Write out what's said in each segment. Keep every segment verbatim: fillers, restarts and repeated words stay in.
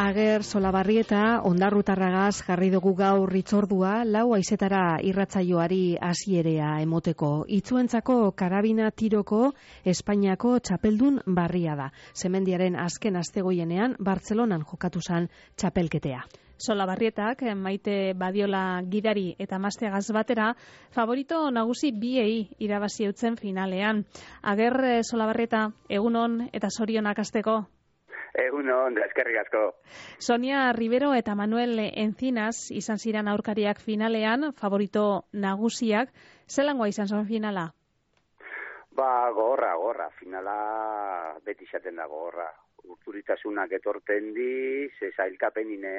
Ager Solabarrieta ondarrutarragaz jarri dugu gaur hitzordua, lau haizetara irratsaioari hasierea emoteko. Itzuentzako karabina tiroko Espainiako txapeldun barria da. Semendiaren azken astegoienean Bartzelonan jokatu zan txapelketea. Solabarrietak, Maite Badiola gidari eta Masteagaz batera, favorito nagusi biei irabazi eutzen finalean. Ager Solabarrieta, egunon eta zorionak hasteko. Egunon, eskerrik asko. Sonia Rivero eta Manuel Encinas izan ziren aurkariak finalean, favorito nagusiak. Zelangoa izan zen finala? Ba, gogorra, gogorra. Finala beti izaten da gogorra. Urturitasunak etorten di, ze zailkapenine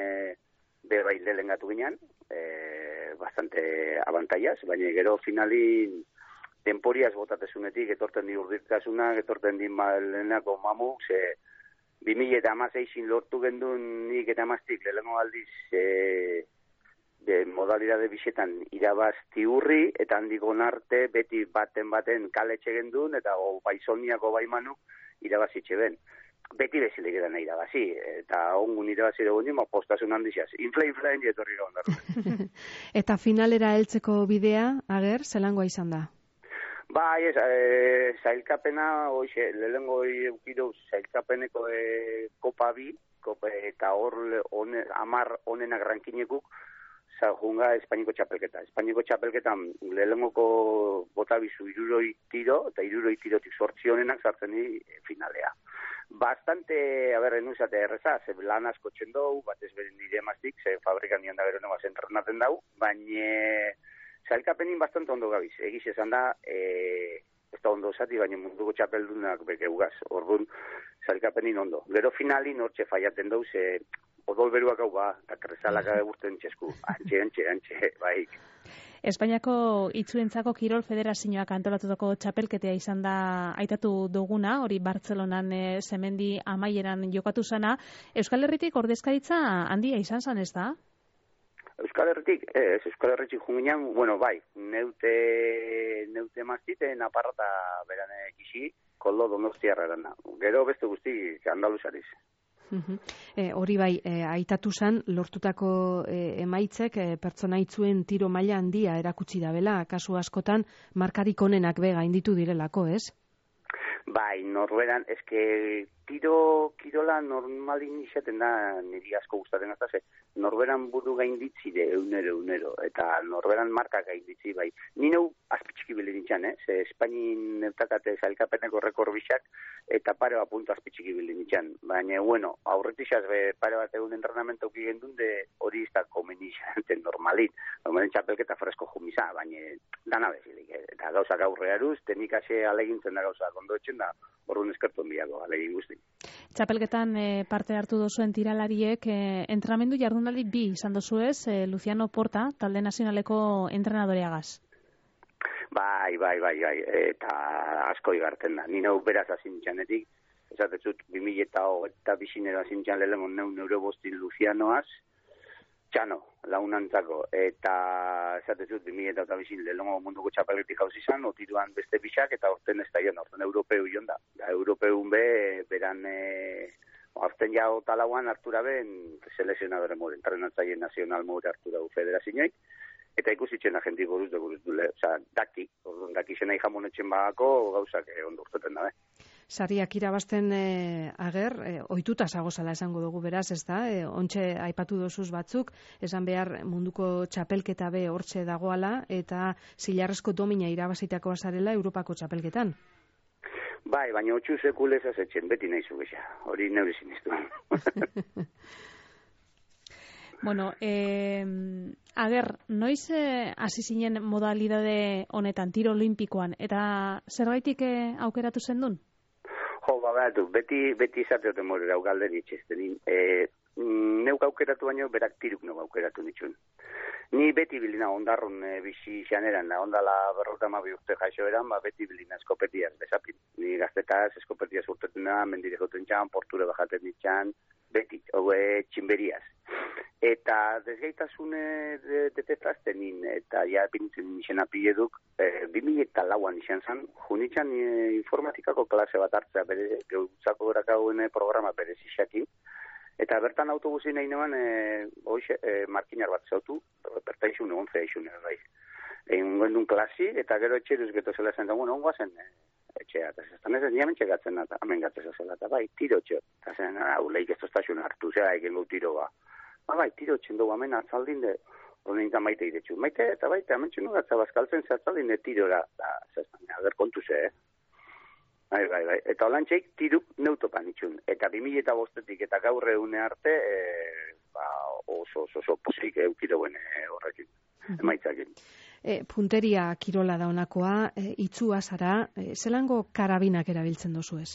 bebaildelen gatu ginen, e, bastante abantaiaz, baina gero finalin temporiaz botatezunetik etorten di urturitasunak, etorten di malenako mamuk, ze bi mila eta hamaseisin lortu gendun nik eta hamaztik lehenko aldiz e, de modalidade bisetan irabazti hurri, eta handikon arte beti baten baten kaletxe gendun, eta o, baizoniako baimanu irabazitxe ben. Beti bezilik edan irabazi, eta ongun irabazi dugu nima postasun handizaz. Infla, infla, enje etorri gaundarru. Eta finalera heltzeko bidea, Ager, zelangoa izan da? Ba, ez, e, zailkapena, oixe, lehenko eukiduz zailkapeneko e, kopa bi, kopa, eta hor one, amar onenak rankinekuk, junga Espainiko txapelketa. Espainiko txapelketan lehenko botabizu iruroi tiro, eta iruroi tirotik sortzi honenak sartzen di finalea. Bastante, a ber, enuzate erreza, ze lan asko txendou, bat ez beren nire emaztik, ze fabrikan nian da gero nebaz entrenaten dau, baina zailkapenin bastante ondo gabiz. Egiz esan da, e, ez da ondo zati, baina munduko txapeldunak bekeugaz. Orduan, zailkapenin ondo. Gero finalin hortxe faiaten dau, ze odol beruak hau ba, eta krezalak agurten txesku. Antxe, antxe, antxe, bai. Espainiako itzuentzako Kirol Federazioak antolatutako txapelketea izan da aitatu duguna, hori Bartzelonan e, Semendi amaieran jokatu zana. Euskal Herritik ordezkaritza handia izan zan, ez da? Euskal Herritik, ez, Euskal Herritik junginan, bueno, bai, neute, neute maztite, naparrata berane kixi, koldo donostiarra erana. Gero beste guzti, andaluzariz. Uh-huh. E, hori bai, e, aitatu zan, lortutako e, emaitzek e, pertsona itzuen tiro maila handia erakutsi dabela, kasu askotan markarik onenak bega inditu direlako, ez? Bai, norberan, eske tiro, kirola normalin izaten da, niri asko gustaten azta, norberan buru gainditzi de eunero, eunero, eta norberan marka gainditzi, bai. Ni neu azpitxiki bile nintzen, eh? Ze Espainin neutakate zailkapeneko rekorbixak, eta pare bat puntu azpitxiki bile nintzen. Baina, bueno, aurretixaz be, pare bat egun entrenamento ukigen duen, de hori izta komenixanten normalin. Normalin txapelketa fresko jumiza, baina dana bezilik. Eh? Eta gauzak aurrearuz, tenikase alegintzen da gauzak ondo etxen da, horren eskerton biako, alegin guzti. Txapelketan e, parte hartu dozuen tiralariek, e, entrenamendu jardunaldi bi izan dozuez, e, Luciano Porta, talde nazionaleko entrenadoreagaz. Bai, bai, bai, bai, eta asko igarten da. Ni nau beraz azintxanetik, esatetzut, bi mila eta bizinero azintxan lehenko neu neurobostin Lucianoaz, txano, launantzako, eta esatetzut, bi mila eta bizin lehenko munduko txapelketik jauz izan, otiruan beste pixak, eta orten ez da ion, orten europeu ion da. Da, europeun be, beran, e, orten ja otalauan hartura ben, selezionadore mure, entrenatzaile nazional mure hartu dugu federazioik, eta ikusitzen agentik buruz dugu, oza, daki, orduan daki zena jamonetzen bagako, gauzak eh, ondo urteten da, eh? Sariak irabazten e, Ager, e, ohituta zagozala esango dugu beraz, ez da? E, ontxe aipatu dozuz batzuk, esan behar munduko txapelketa be hortxe dagoala, eta zilarrezko domina irabazitako azarela Europako txapelketan. Bai, baina otxu sekulez azetzen, beti nahi zugeza, hori neure sinistu. Bueno, eh, Ager, noiz eh, hasi zinen modalidade honetan, tiro olimpikoan, eta zerbaitik eh, aukeratu zendun? Jo, babatu, beti, beti izateoten morera galderi itxezten. E, neuk aukeratu baino, berak tiruk neuk aukeratu nitxun. Ni beti bilina ondarrun e, bizi xaneran, da ondala berrota mabi urte jaixo eran, ba, beti bilina eskopetiaz bezapin. Ni gaztetaz eskopetiaz urtetan da, mendire joten txan, porture bajaten ditxan, beti, hoge txinberiaz. Eta desgaitasune de, detetazten nin, eta ja pintzen nixen apieduk, e, bi mila eta lauan izan zan, junitzen e, informatikako klase bat hartzea, bere, geutzako gorakauen programa bere zixakin, Eta bertan autobusin nahi nuen, e, hoxe, e, markinar bat zautu, berta izun egon zea izun, bai. Egin gondun klasi, eta gero etxeruz geto zela zen, da, bueno, ongoa zen e, etxea, eta zestan ez, niamen txegatzen, eta hamen gatzeza zela, eta bai, tiro txo, eta zen, hau, lehik ez tostazun hartu, zera, egin gau tiro ba. Ba, bai, tiro txen dugu, hamen atzaldin de, honen eta maite idetxu. Maite, eta baita, hamen txenu gatza bazkaltzen, ze atzaldin de tirora, eta zestan, ager kontu ze, eh? Bai, bai, bai. Eta holan txeik, tiruk neutopan itxun. Eta bimile eta bostetik eta gaur egune arte, e, ba, oso, oso, oso posik eukiroen e, horrekin, emaitzakin. E, punteria kirola da honakoa, e, itzua zara, e, zelango karabinak erabiltzen dozu ez?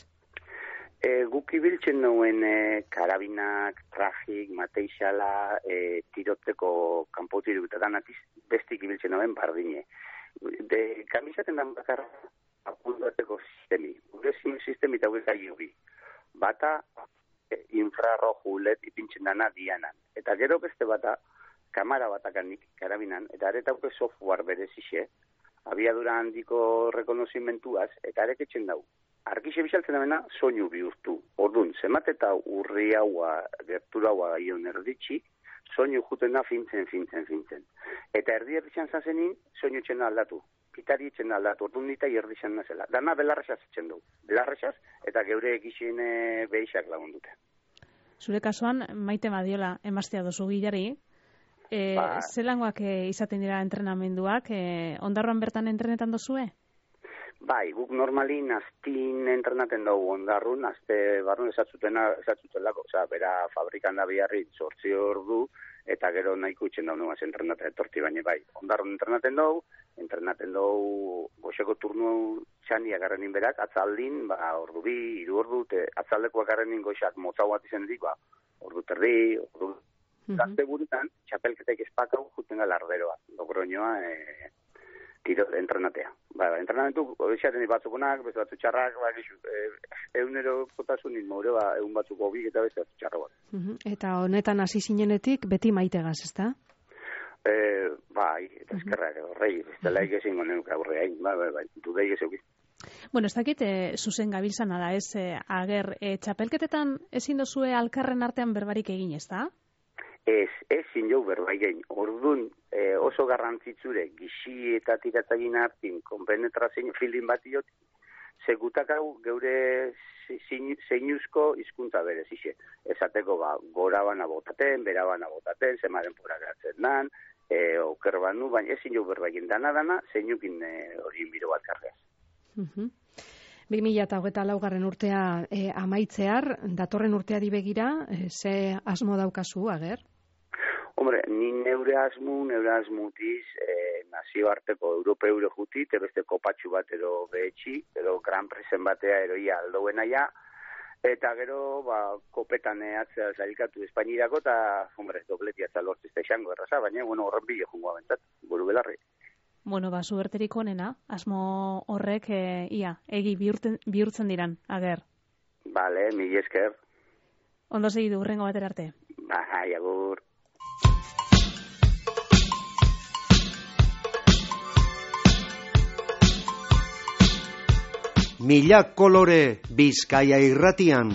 E, guk ibiltzen nuen e, karabinak, trajik, mateixala, e, tirotzeko kanpotiru eta danatiz, bestik ibiltzen nuen bardine. De, kamisaten dan bakarra, apuntateko sistemi. Gure sistemi eta gure gai bata e, infrarroju led ipintzen dana dianan. Eta gero beste bata, kamara batakanik, karabinan, eta aretauke software berezixe, abiadura handiko rekonozimentuaz, eta areketzen dau. Argixe bizaltzen damena, soinu bihurtu. Orduan, zemat eta urri haua, gertura haua gaion erditxi, soinu juten da fintzen, fintzen, fintzen. Eta erdi erditxan zazenin, soinu txena aldatu. Pitari etxen aldatu, orduan nita ierdizan nazela. Dana belarrexaz etxen du. Belarrexaz, eta geure egizien e, behixak lagundute. Zure kasuan, Maite Madiola emaztea dozu gilari, e, ba, zelangoak e, izaten dira entrenamenduak, e, ondarroan bertan entrenetan dozue? Bai, guk normalin aztin entrenaten dugu ondarrun, azte barrun esatzutena, esatzutelako, oza, bera fabrikan da biharri zortzi ordu, eta gero nahiko itxen daun nuaz entrenaten etorti baina bai. Ondarrun entrenaten dugu, entrenaten dugu goxeko turnu txandiak garrenin berak, atzaldin, ba, ordu bi, iru ordu, te, atzaldekoak garrenin goxak motzau bat izan dik, ba, ordu terdi, ordu... Mm-hmm. Gazte burutan, txapelketek espakau juten galarderoa, Logroñoa, e, tiro entrenatea. Ba, entrenamentu, odexaten batzukonak, beste batzu txarrak, ba, gizu, e, eunero potasunin more, ba, eun batzuko bik eta beste batzu txarra bat. Mm-hmm. Eta honetan hasi zinenetik, beti Maitegaz, ezta? Eh, bai, eta eskerrak, horrei, ez dela egezingo neuk aurreain, bai, bai, bai, dudei gezeuki. Bueno, ez dakit, e, zuzen gabiltzana da, ez, e, ager, e, txapelketetan ezin dozue alkarren artean berbarik egin, ez da? Ez, ezin jau berbai gein. Orduan, e, oso garrantzitzure, gixi eta tiratzagin hartin, konpenetrazin filin bat iot, segutak hau geure zeinuzko hizkuntza berez, ixe. Esateko, ba, gora bana botaten, bera bana botaten, zemaren pura geratzen dan, e, oker banu, baina ezin jau berbaien dana-dana, zeinukin hori e, biro bat karreaz. Uh-huh. bi mila hogeita laugarren urtea e, amaitzear, datorren urteari begira, e, ze asmo daukazu, ager? Hombre, ni neure asmu, neure asmutiz, e, nazioarteko europeure jutit, beste kopatxu bat ero behetxi, ero gran presen batea eroia aldoena ja, eta gero, ba, kopetan atzea zailkatu Espainirako, eta, hombre, dobletia zalortzizta izango erraza, baina, bueno, horren bile jungo abentzat, buru belarri. Bueno, ba, zuberterik onena, asmo horrek, e, ia, egi bihurten, bihurtzen diran, ager. Bale, mila esker. Ondo segidu, hurrengo batera arte. Bai, agur. Mila kolore Bizkaia irratian.